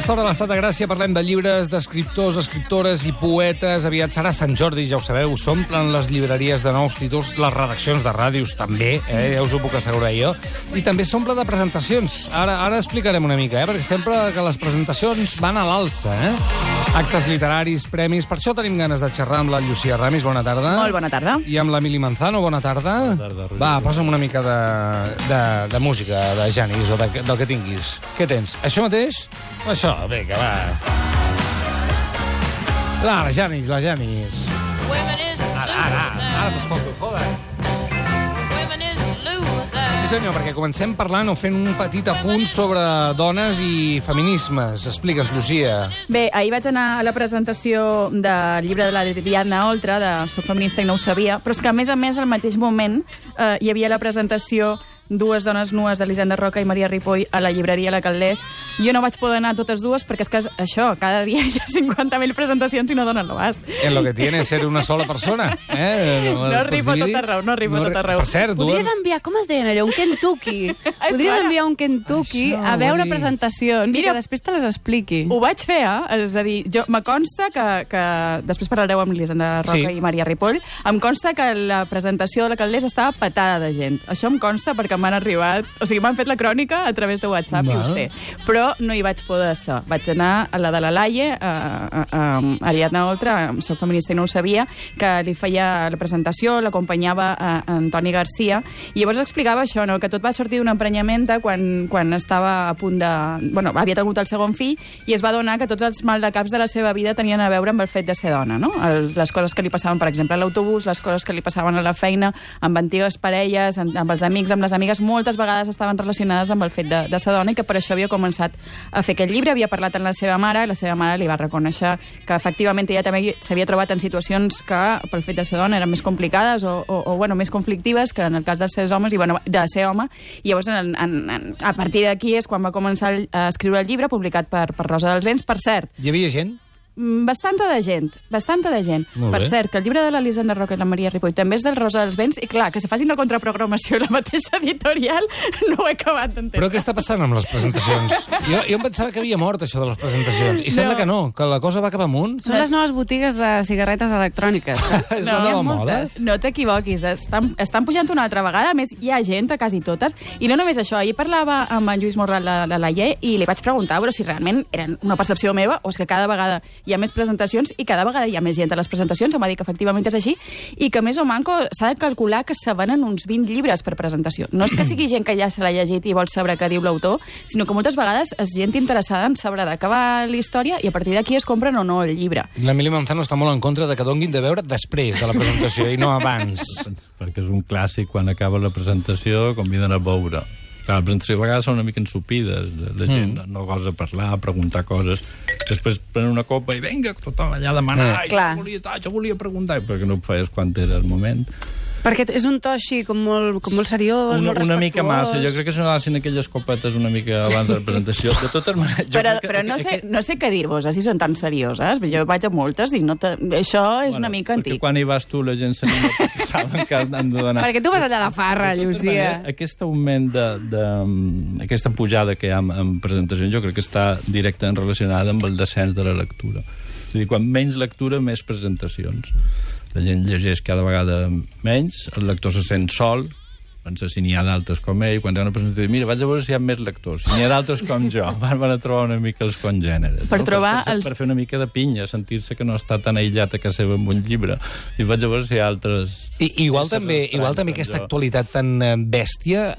aquesta hora a l'Estat de Gràcia parlem de llibres, d'escriptors, escriptores i poetes. Aviat serà Sant Jordi, ja ho sabeu, s'omplen les llibreries de nous títols, les redaccions de ràdios també, ja us ho puc assegurar jo, i també s'omple de presentacions. Ara explicarem una mica, perquè sempre que les presentacions van a l'alça, actes literaris, premis. Per això tenim ganes de xerrar amb la Llucia Ramis. Bona tarda. Molt bona tarda. I amb l'Emili Manzano. Bona tarda. Bona tarda, Roger. Va, posa'm una mica de música, de Janis, o del que tinguis. Què tens? Això mateix? Això, vinga, va. La Janis. Ara t'escolto, joder. Sí, senyor, perquè comencem parlant o fent un petit apunt sobre dones i feminismes. Explica'ns, Llucia. Bé, ahir vaig anar a la presentació del llibre de l'Ariadna Oltra, de Soc feminista i no ho sabia, però és que, a més, al mateix moment hi havia la presentació Dues dones nues d'Elisenda Roca i Maria Ripoll a la llibreria La Caldés. Jo no vaig poder anar a totes dues perquè és que això, cada dia hi ha 50.000 presentacions i no donen l'abast. En lo que tiene ser una sola persona. No arribo a tot arreu. Per cert, podries enviar, com es deien allò, un Kentucky. Podries enviar un Kentucky a veure presentacions i que després te les expliqui. Ho vaig fer, és a dir, me consta que després parlareu amb Elisenda Roca i Maria Ripoll, em consta que la presentació de La Caldés estava petada de gent. Això em consta perquè m'han arribat... O sigui, m'han fet la crònica a través de WhatsApp, i ho sé. Però no hi vaig poder ser. Vaig anar a la de la Laie, a Ariadna Oltra, Soc feminista i no ho sabia, que li feia la presentació, l'acompanyava Antoni Garcia, i llavors explicava això, no? Que tot va sortir d'un emprenyament quan estava a punt de... Bueno, havia tingut el segon fill, i es va adonar que tots els maldecaps de la seva vida tenien a veure amb el fet de ser dona, no? Les coses que li passaven, per exemple, a l'autobús, les coses que li passaven a la feina, amb antigues parelles, amb els amics, amb les amigues, moltes vegades estaven relacionades amb el fet de ser dona i que per això havia començat a fer aquest llibre. Havia parlat amb la seva mare i la seva mare li va reconèixer que efectivament ella també s'havia trobat en situacions que pel fet de ser dona eren més complicades o més conflictives que en el cas de ser homes de ser home. I llavors a partir d'aquí és quan va començar a escriure el llibre publicat per Rosa dels Vents. Per cert... Hi havia gent? Bastanta de gent. Per cert, que el llibre de l'Elisenda Roca i la Maria Ripoll també és del Rosa dels Vents, i clar, que se facin la contraprogramació i la mateixa editorial no ho he acabat d'entendre. Però què està passant amb les presentacions? Jo em pensava que havia mort això de les presentacions, i sembla que no, que la cosa va cap amunt. Són les noves botigues de cigarretes electròniques. És la nova moda. No t'equivoquis, estan pujant una altra vegada, a més hi ha gent a quasi totes, i no només això, ahir parlava amb en Lluís Morral de la Laie i li vaig preguntar però si realment eren una percepció meva o és que cada vegada hi ha més presentacions i cada vegada hi ha més gent a les presentacions. Em va dir que efectivament és així i que més o manco s'ha de calcular que se venen uns 20 llibres per presentació. No és que sigui gent que ja se l'ha llegit i vol saber què diu l'autor, sinó que moltes vegades és gent interessada en saber de què va la història i a partir d'aquí es compren o no el llibre. L'Emili Manzano està molt en contra de que donguin de veure després de la presentació i no abans. Perquè és un clàssic, quan acaba la presentació conviden a beure. Clar, les presentacions a vegades són una mica ensupides, la gent no gosa parlar, preguntar coses, després prenen una copa i vinga, tothom allà a demanar, jo volia preguntar, perquè no ho feies quan era el moment. Perquè és un to així com molt seriós, molt respectuós. Una mica massa. Jo crec que s'anaven aquelles copetes una mica abans de la presentació. De totes maneres... Però no sé què dir-vos, si són tan serioses. Jo vaig a moltes i això és una mica antic. Perquè quan hi vas tu la gent s'anima perquè saben que han de donar... Perquè tu vas allà de farra, Llucia. Aquest augment aquesta pujada que hi ha en presentacions jo crec que està directament relacionada amb el descens de la lectura. És a dir, quan menys lectura, més presentacions. La gent llegeix cada vegada menys, el lector se sent sol, pensa si n'hi ha d'altres com ell, quan hi ha una presentació, mira, vaig a veure si hi ha més lectors, si n'hi ha d'altres com jo, van a trobar una mica els congèneres. Per fer una mica de pinya, sentir-se que no està tan aïllat a casa seva amb un llibre, i vaig a veure si hi ha altres... Igual també aquesta actualitat tan bèstia,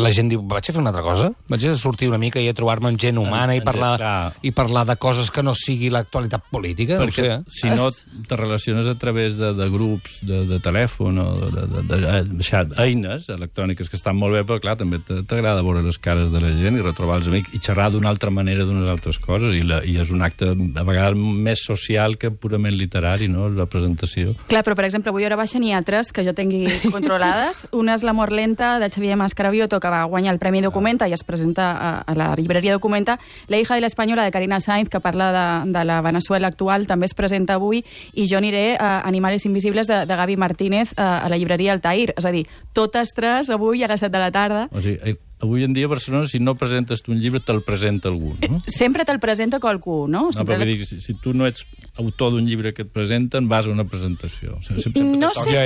la gent diu, vaig a fer una altra cosa? Vaig a sortir una mica i a trobar-me amb gent humana i parlar de coses que no sigui l'actualitat política? Perquè si no te relaciones a través de grups, de telèfon o de eines electròniques que estan molt bé, però clar, també t'agrada veure les cares de la gent i retrobar els amics i xerrar d'una altra manera d'unes altres coses, i és un acte a vegades més social que purament literari, no?, la presentació. Clar, però per exemple, avui a hora baixa n'hi ha altres que jo tingui controlades. Una és L'amor lenta, de Xavier Mascarabioto, que va guanyar el Premi Documenta i es presenta a la llibreria Documenta. La hija de l'espanyola, de Karina Sainz, que parla de la Venezuela actual, també es presenta avui, i jo aniré a Animales invisibles, de Gaby Martínez, a la llibreria Altair. És a dir, totes tres avui a les 7 de la tarda. O sigui, avui en dia a Barcelona, si no presentes tu un llibre, te'l presenta algú, no? Sempre te'l presenta qualcú, no? No, perquè dic, si tu no ets autor d'un llibre que et presenten, vas a una presentació. No sé si...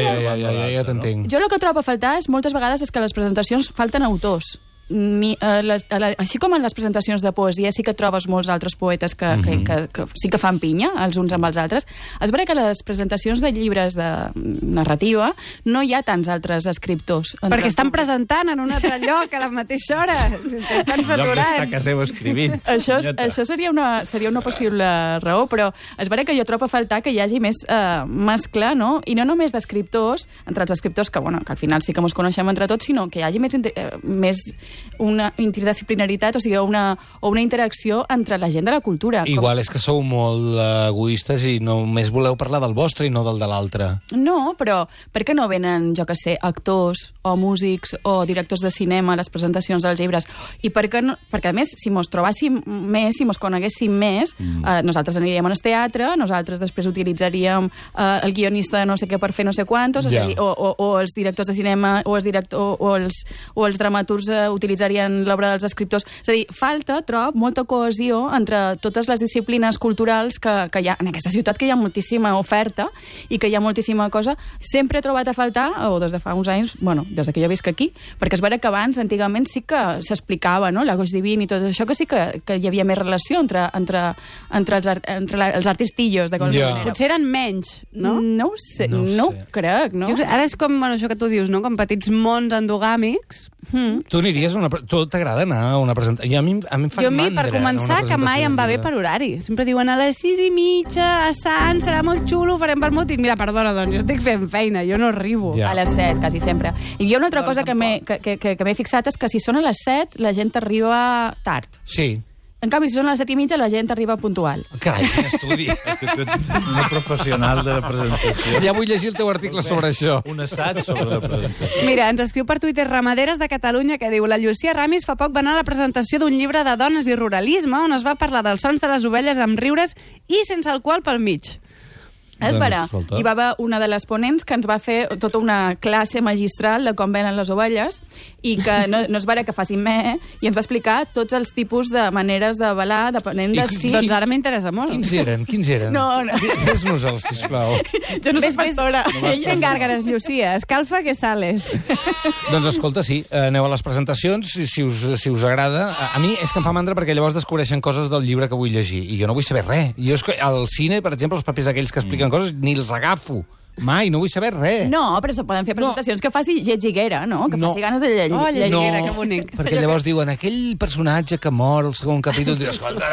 Ja t'entenc. Jo el que trobo a faltar moltes vegades és que a les presentacions falten autors. Així com en les presentacions de poesia sí que trobes molts altres poetes que sí que fan pinya els uns amb els altres. És veritat que les presentacions de llibres de narrativa no hi ha tants altres escriptors. Perquè estan presentant en un altre lloc a la mateixa hora. Estan saturats. Lloc d'estar a casa seva escrivint. Això seria una possible raó, però és veritat que jo trobo a faltar que hi hagi més mescla, no? I no només d'escriptors, entre els escriptors que al final sí que ens coneixem entre tots, sinó que hi hagi més una interdisciplinaritat, o sigui, una interacció entre la gent de la cultura. Igual és que sou molt egoistes i només voleu parlar del vostre i no del de l'altre. No, però per què no venen, jo que sé, actors o músics o directors de cinema a les presentacions dels llibres? I per què no? Perquè, a més, si mos trobàssim més, si mos coneguéssim més, nosaltres aniríem al teatre, nosaltres després utilitzaríem el guionista de no sé què per fer no sé quantos, o els directors de cinema o els dramaturgs utilitzarien l'obra dels escriptors. És a dir, falta, trob, molta cohesió entre totes les disciplines culturals que hi ha en aquesta ciutat, que hi ha moltíssima oferta i que hi ha moltíssima cosa. Sempre he trobat a faltar, o des de fa uns anys, des de que jo visc aquí, perquè és vera que abans, antigament, sí que s'explicava, no?, l'Agost Divin i tot això, que sí que hi havia més relació entre els artistillos, de qualsevol manera. Potser eren menys, no? No ho sé, no ho crec, no? Ara és com això que tu dius, no?, com petits mons endogàmics. Tu aniries a tu t'agrada anar a una presentació? A mi em fa mandra. Per començar, que mai em va bé per horari. Sempre diuen a les 6:30, a Sant, serà molt xulo, farem pel motiu. Mira, perdona, doncs, jo estic fent feina, jo no arribo. A les 7, quasi sempre. I hi ha una altra cosa que m'he fixat, és que si són a les 7, la gent arriba tard. Sí. En canvi, si són a les 7:30, la gent arriba puntual. Carai, quin estudi. Que tu ets una professional de la presentació. Ja vull llegir el teu article sobre això. Un assaig sobre la presentació. Mira, ens escriu per Twitter Ramaderes de Catalunya, que diu: la Llucia Ramis fa poc va anar a la presentació d'un llibre de dones i ruralisme on es va parlar dels sons de les ovelles amb riures i sense alcohol pel mig. És vera. Hi va haver una de les ponents que ens va fer tota una classe magistral de com venen les ovelles i que no és vera que facin i ens va explicar tots els tipus de maneres de balar, depenent de si... Doncs ara m'interessa molt. Quins eren? No. Fes-nos-els, sisplau. Jo no soc pastora. Ell fent gàrgares, Llucia. Escalfa que sales. Doncs escolta, sí, aneu a les presentacions, si us agrada. A mi és que em fa mandra perquè llavors descobreixen coses del llibre que vull llegir i jo no vull saber res. Jo al cine, per exemple, els papers aquells que expliquen coses, ni els agafo. Mai, no vull saber res. No, però se poden fer presentacions que faci lletziguera, no? Que faci ganes de llegir. Oh, lletziguera, que bonic. Perquè llavors diuen, aquell personatge que mor al segon capítol, dius, escolta,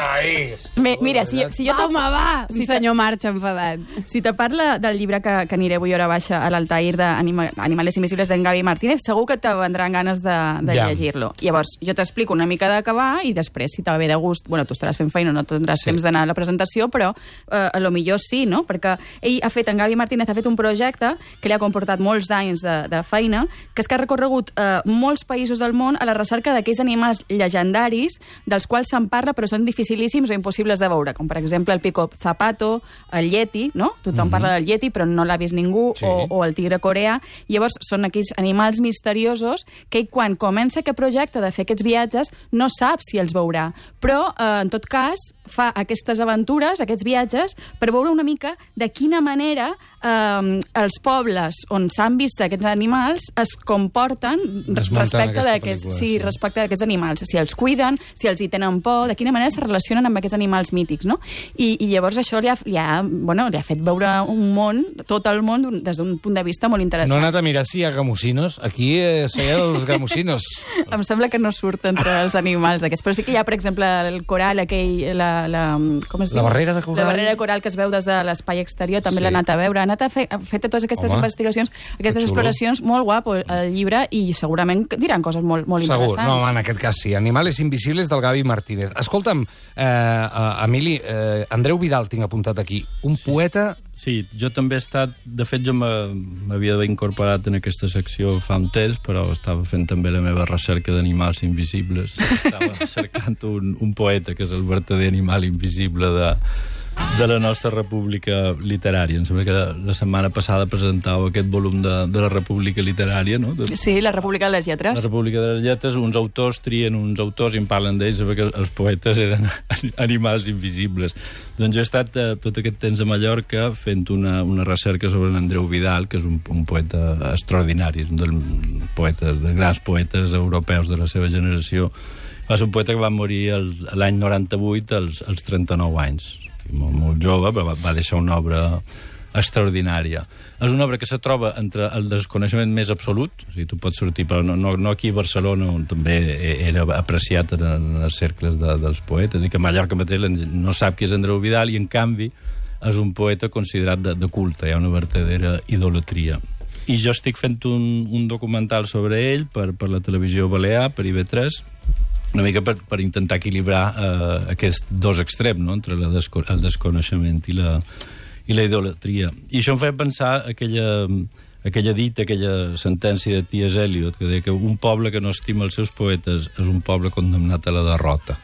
mira, si jo... Home, va! Un senyor marxa enfadat. Si te parla del llibre que aniré avui hora baixa a l'Altair d'Animales Invisibles d'en Gavi Martínez, segur que te vendran ganes de llegir-lo. Llavors, jo t'explico una mica de què va i després, si te va bé de gust, tu estaràs fent feina, no tindràs temps d'anar a la presentació, però a lo millor sí, no? Perquè ell en Gavi Martínez ha fet un projecte que li ha comportat molts anys de feina, que és que ha recorregut molts països del món a la recerca d'aquells animals llegendaris dels quals se'n parla però són dificilíssims o impossibles de veure, com per exemple el pico zapato, el yeti, no? Tothom parla del yeti però no l'ha vist ningú, o el tigre coreà. Llavors són aquells animals misteriosos que quan comença aquest projecte de fer aquests viatges no sap si els veurà, però en tot cas fa aquestes aventures, aquests viatges, per veure una mica de quina manera els pobles on s'han vist aquests animals es comporten respecte d'aquests animals, si els cuiden, si els hi tenen por, de quina manera se relacionen amb aquests animals mítics, no? I llavors això li ha fet veure un món, tot el món, des d'un punt de vista molt interessant. No he anat a mirar si hi ha gamusinos. Aquí seien els gamusinos. Em sembla que no surt entre els animals aquests, però sí que hi ha, per exemple, el coral aquell, com es diu? La barrera de coral. La barrera de coral que es veu des de l'espai exterior, també l'ha anat a veure, ha fet totes aquestes investigacions, aquestes exploracions, molt guapo el llibre, i segurament diran coses molt interessants. Segur, no, en aquest cas sí. Animales Invisibles del Gavi Martínez. Escolta'm, Emili, Andreu Vidal tinc apuntat aquí, un poeta... Sí, jo també he estat... De fet, jo m'havia d'haver incorporat en aquesta secció fa un temps, però estava fent també la meva recerca d'animals invisibles. Estava cercant un poeta, que és el vertader animal invisible de la nostra república literària. Em sembla que la setmana passada presentàveu aquest volum de la república literària, no? Sí, la república de les lletres. La república de les lletres, uns autors trien uns autors i en parlen d'ells, perquè els poetes eren animals invisibles. Doncs jo he estat tot aquest temps a Mallorca fent una recerca sobre l'Andreu Vidal, que és un poeta extraordinari, un dels grans poetes europeus de la seva generació. Va ser un poeta que va morir l'any 98 als 39 anys. Molt jove, però va deixar una obra extraordinària. És una obra que se troba entre el desconeixement més absolut, o sigui, tu pots sortir, però no aquí a Barcelona, on també era apreciat en els cercles dels poetes, i que a Mallorca mateix no sap qui és Andreu Vidal, i en canvi és un poeta considerat de culte, hi ha una verdadera idolatria. I jo estic fent un documental sobre ell per la televisió balear, per IB3, una mica per intentar equilibrar aquests dos extrems, no?, entre el desconeixement i la idolatria. I això em feia pensar aquella dita, aquella sentència de T.S. Eliot, que deia que un poble que no estima els seus poetes és un poble condemnat a la derrota.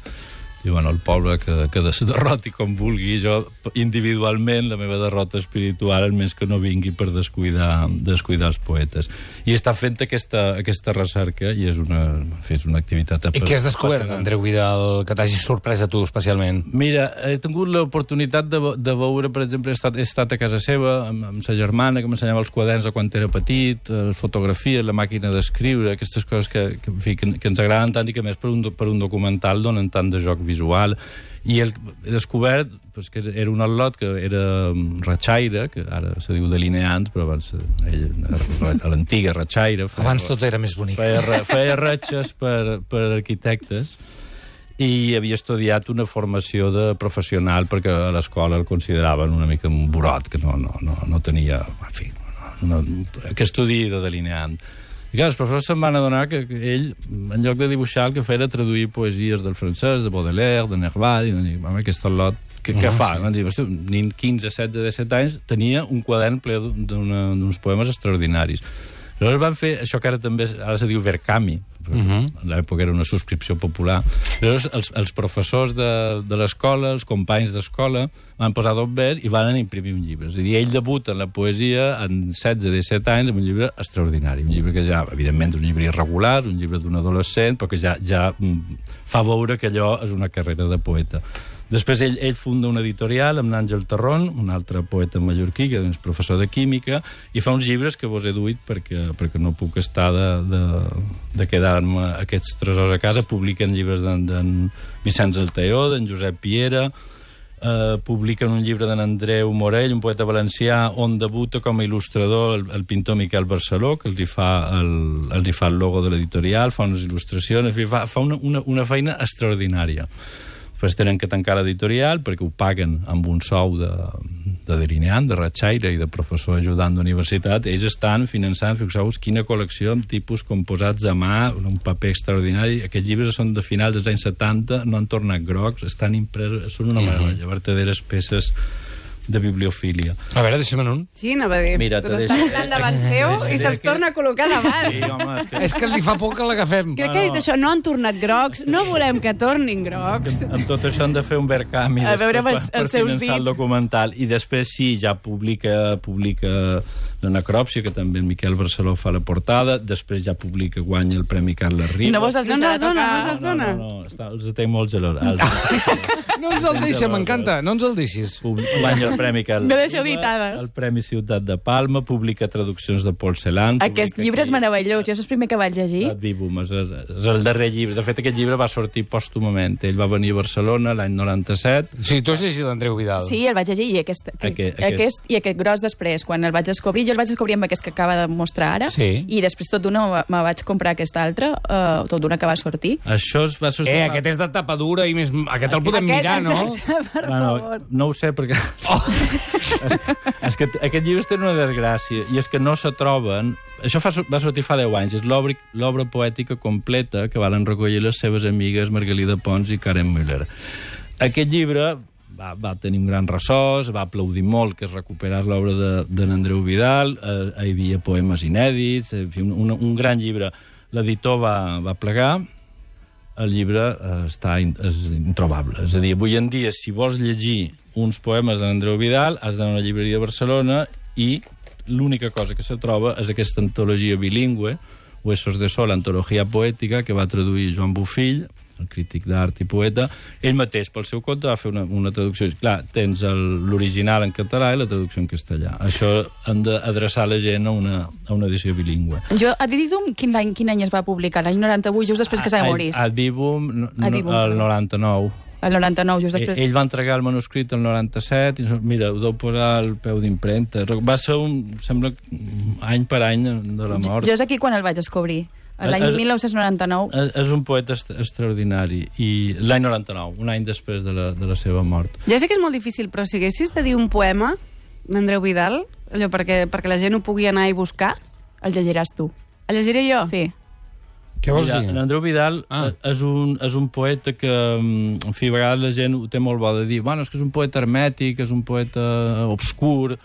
I bueno, el poble que es derroti com vulgui, jo individualment, la meva derrota espiritual, almenys que no vingui per descuidar els poetes. I està fent aquesta recerca i és una activitat... I què has descobert d'Andreu Vidal que t'hagi sorprès a tu especialment? Mira, he tingut l'oportunitat de veure, per exemple, he estat a casa seva amb sa germana, que m'ensenyava els quaderns de quan era petit, fotografies, la màquina d'escriure, aquestes coses que ens agraden tant i que, més, per un documental donen tant de joc visual, i he descobert que era un al·lot que era ratxaire, que ara se diu delineant, però abans a l'antiga ratxaire. Abans tot era més bonic. Feia ratxes per arquitectes i havia estudiat una formació de professional perquè a l'escola el consideraven una mica un burot, que no tenia, en fi, que estudi de delineant. I clar, els professors se'n van adonar que ell, en lloc de dibuixar, el que feia era traduir poesies del francès, de Baudelaire, de Nerval, i van dir, home, aquest al·lot, què fa? Van dir, hosti, un nen 15, 16, 17 anys tenia un quadern ple d'uns poemes extraordinaris. Llavors van fer això que ara se diu Verkami, en l'època era una subscripció popular. Llavors els professors de l'escola, els companys d'escola, van posar 2 vers i van imprimir un llibre. És a dir, ell debuta en la poesia en 16-17 anys amb un llibre extraordinari, un llibre que ja, evidentment, és un llibre irregular, un llibre d'un adolescent, però que ja fa veure que allò és una carrera de poeta. Després ell funda una editorial amb l'Àngel Tarrón, un altre poeta mallorquí, que és professor de química, i fa uns llibres que vos he duit perquè no puc estar de quedar-me aquests tresors a casa. Publiquen llibres d'en Vicenç Alteó, d'en Josep Piera, publiquen un llibre d'en Andreu Morell, un poeta valencià, on debuta com a il·lustrador el pintor Miquel Barceló, que els hi fa el logo de l'editorial, fa unes il·lustracions, fa una feina extraordinària. Després tenen que tancar l'editorial perquè ho paguen amb un sou de delineant, de ratxaire i de professor ajudant d'universitat. Ells estan finançant, fixeu-vos, quina col·lecció amb tipus composats a mà, un paper extraordinari. Aquests llibres són de finals dels anys 70, no han tornat grocs, estan impresos, són una meravella, verdaderes peces de bibliofília. A veure, deixa'm un. Sí, anava a dir, mira, però estan anant davant seu i se'ls torna a col·locar davant. Sí, home, És que li fa por que l'agafem. Crec que ha dit això, no han tornat grocs, no volem que tornin grocs. Amb tot això han de fer un Verkami A veure per els seus finançar el dits. documental. I després sí, ja publica la Necròpsia, que també en Miquel Barceló fa la portada, després ja guanya el Premi Carles Riba. No vos els No ens deixarà els dona, tocar... no ens els dona. No, els tenc molt gelós. No ens el deixa, m'encanta, no ens el deixis. Guanya el Premi Carles No deixeu Riba, ditades. el Premi Ciutat de Palma, publica traduccions de Paul Celan. Aquest llibre és meravellós, jo és el primer que vaig llegir. Vivum, és el darrer llibre. De fet, aquest llibre va sortir pòstumament. Ell va venir a Barcelona l'any 97. Sí, tu has llegit l'Andreu Vidal. Sí, el vaig llegir i aquest gros després, quan el vaig descobrir, jo el vaig descobrir amb aquest que acaba de mostrar ara, Sí. i després tot d'una me vaig comprar aquest altre, tot d'una que va sortir. Això es va sortir... Aquest és de tapa dura i més... Aquest el podem mirar, no? Exacte, per favor. No ho sé, perquè... és que aquest llibre té una desgràcia, i és que no se troben... Això va sortir fa 10 anys, és l'obra poètica completa que varen recollir les seves amigues Margalida Pons i Karen Müller. Aquest llibre va tenir un gran ressò, es va aplaudir molt que es recuperés l'obra d'en Andreu Vidal, hi havia poemes inèdits, en fi, un gran llibre. L'editor va plegar, el llibre és introbable. És a dir, avui en dia, si vols llegir uns poemes d'Andreu Vidal, has d'anar a una llibreria de Barcelona i l'única cosa que se troba és aquesta antologia bilingüe, Huesos de Sol, antologia poètica, que va traduir Joan Bofill, el crític d'art i poeta. Ell mateix, pel seu compte, va fer una traducció. Clar, tens l'original en català i la traducció en castellà. Això hem d'adreçar la gent a una edició bilingüe. Jo, a Didum, quin any es va publicar? L'any 98, just després que s'ha morís. A Dibum, el 99. El 99, just després. Ell va entregar el manuscrit el 97 i mira, ho deu posar al peu d'impremta. Va ser sembla, any per any de la mort. Jo és aquí quan el vaig descobrir. L'any 1999. És un poeta extraordinari. I l'any 99, un any després de la seva mort. Ja sé que és molt difícil, però si haguessis de dir un poema d'Andreu Vidal, allò perquè la gent ho pugui anar i buscar... El llegiràs tu. El llegiré jo? Sí. Què vols dir? L'Andreu Vidal és un poeta que, en fi, a vegades la gent ho té molt bo de dir, bueno, és que és un poeta hermètic, és un poeta obscur.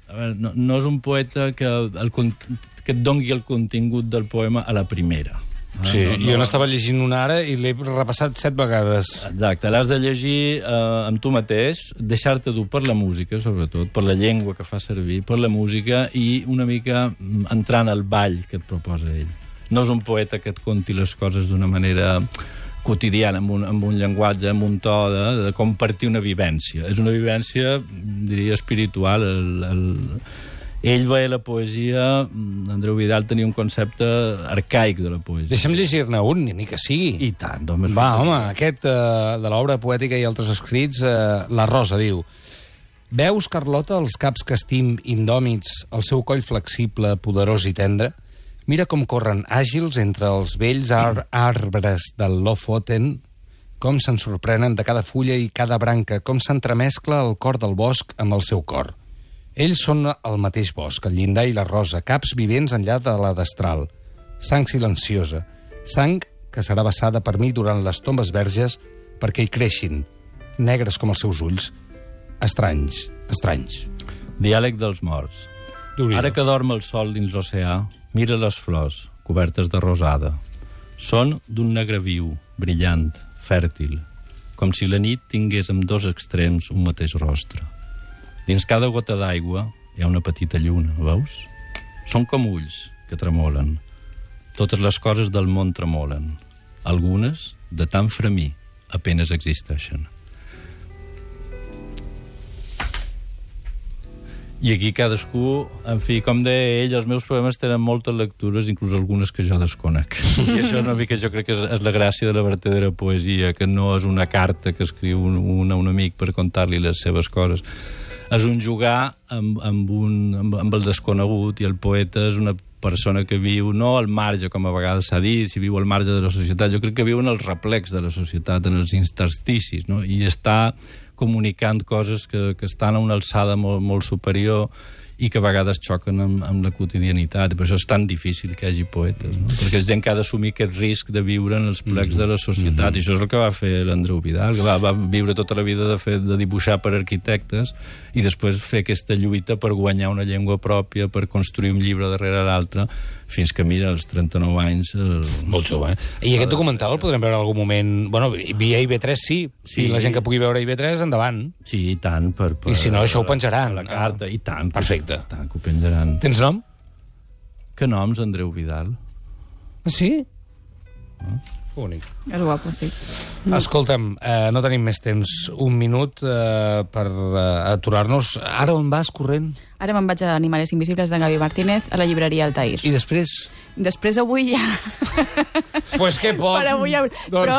A veure, no és un poeta que et dongui el contingut del poema a la primera. Sí, jo n'estava llegint una ara i l'he repassat 7 vegades. Exacte, l'has de llegir amb tu mateix, deixar-te dur per la música, sobretot, per la llengua que fa servir, per la música i una mica entrant al ball que et proposa ell. No és un poeta que et conti les coses d'una manera quotidiana, amb un llenguatge, amb un to de compartir una vivència. És una vivència, diria, espiritual. Ell veia la poesia, Andreu Vidal tenia un concepte arcaic de la poesia. Deixa'm llegir-ne un, ni que sigui. I tant, home. Va, home, aquest de l'obra poètica i altres escrits, La Rosa, diu: Veus, Carlota, els caps que estim indòmits, el seu coll flexible, poderós i tendre? Mira com corren àgils entre els vells arbres del Lofoten, com se'n sorprenen de cada fulla i cada branca, com s'entremescla el cor del bosc amb el seu cor. Ells són el mateix bosc, el llindar i la rosa, caps vivents enllà de la destral. Sang silenciosa, sang que serà vessada per mi durant les tombes verges perquè hi creixin, negres com els seus ulls, estranys, estranys. Diàleg dels morts. Ara que dorm el sol dins l'oceà, mira les flors, cobertes de rosada. Són d'un negre viu, brillant, fèrtil, com si la nit tingués amb 2 extrems un mateix rostre. Dins cada gota d'aigua hi ha una petita lluna, veus? Són com ulls que tremolen. Totes les coses del món tremolen. Algunes, de tan fremir, apenes existeixen. I aquí cadascú, en fi, com deia ell, els meus poemes tenen moltes lectures, inclús algunes que jo desconec. I això una mica jo crec que és la gràcia de la vertadera poesia, que no és una carta que escriu un amic per contar-li les seves coses. És un jugar amb el desconegut, i el poeta és una persona que viu no al marge, com a vegades s'ha dit, si viu al marge de la societat. Jo crec que viu en els replecs de la societat, en els intersticis, no? I està comunicant coses que estan a una alçada molt superior i que a vegades xoquen amb la quotidianitat. I per això és tan difícil que hi hagi poetes, no? Perquè és gent que ha d'assumir aquest risc de viure en els plecs de la societat. I això és el que va fer l'Andreu Vidal, que va viure tota la vida de dibuixar per arquitectes i després fer aquesta lluita per guanyar una llengua pròpia, per construir un llibre darrere l'altre, fins que, mira, als 39 anys... Molt jove, I aquest documental el podrem veure en algun moment... Bueno, via IB3 sí. Si la gent que pugui veure IB3, endavant. Sí, i tant. I si no, això ho penjaran. La carta, i tant. Perfecte. Tant que ho penjaran. Tens nom? Que noms, Andreu Vidal? Sí? Únic. És guapo, sí. Escolta'm, no tenim més temps. Un minut per aturar-nos. Ara on vas, corrent? Ara me'n vaig a Animales Invisibles de Gaby Martínez a la llibreria Altair. I després? Després avui ja... Pues que poc. Per avui ja... Però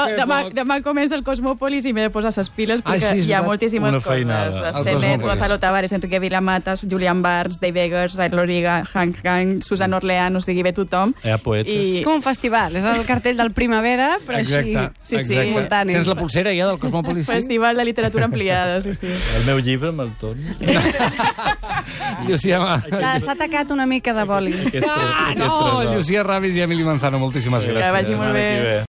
demà comença el Cosmòpolis i m'he de posar les piles perquè hi ha moltíssimes coses. Senet, Gonzalo Tavares, Enrique Vilamatas, Julian Barnes, Dave Eggers, Ray Loriga, Hank Kang, Susan Orlean, o sigui, ve tothom. Hi ha poetes. És com un festival, és el cartell del Primavera, però exacte, així simultani. Tens la pulsera ja del Cosmòpolis? Festival de literatura ampliada, sí. El meu llibre me'l torno. S'ha tacat una mica de boli. No, Llucia Ramis i Emili Manzano, moltíssimes gràcies. Que vagi molt bé.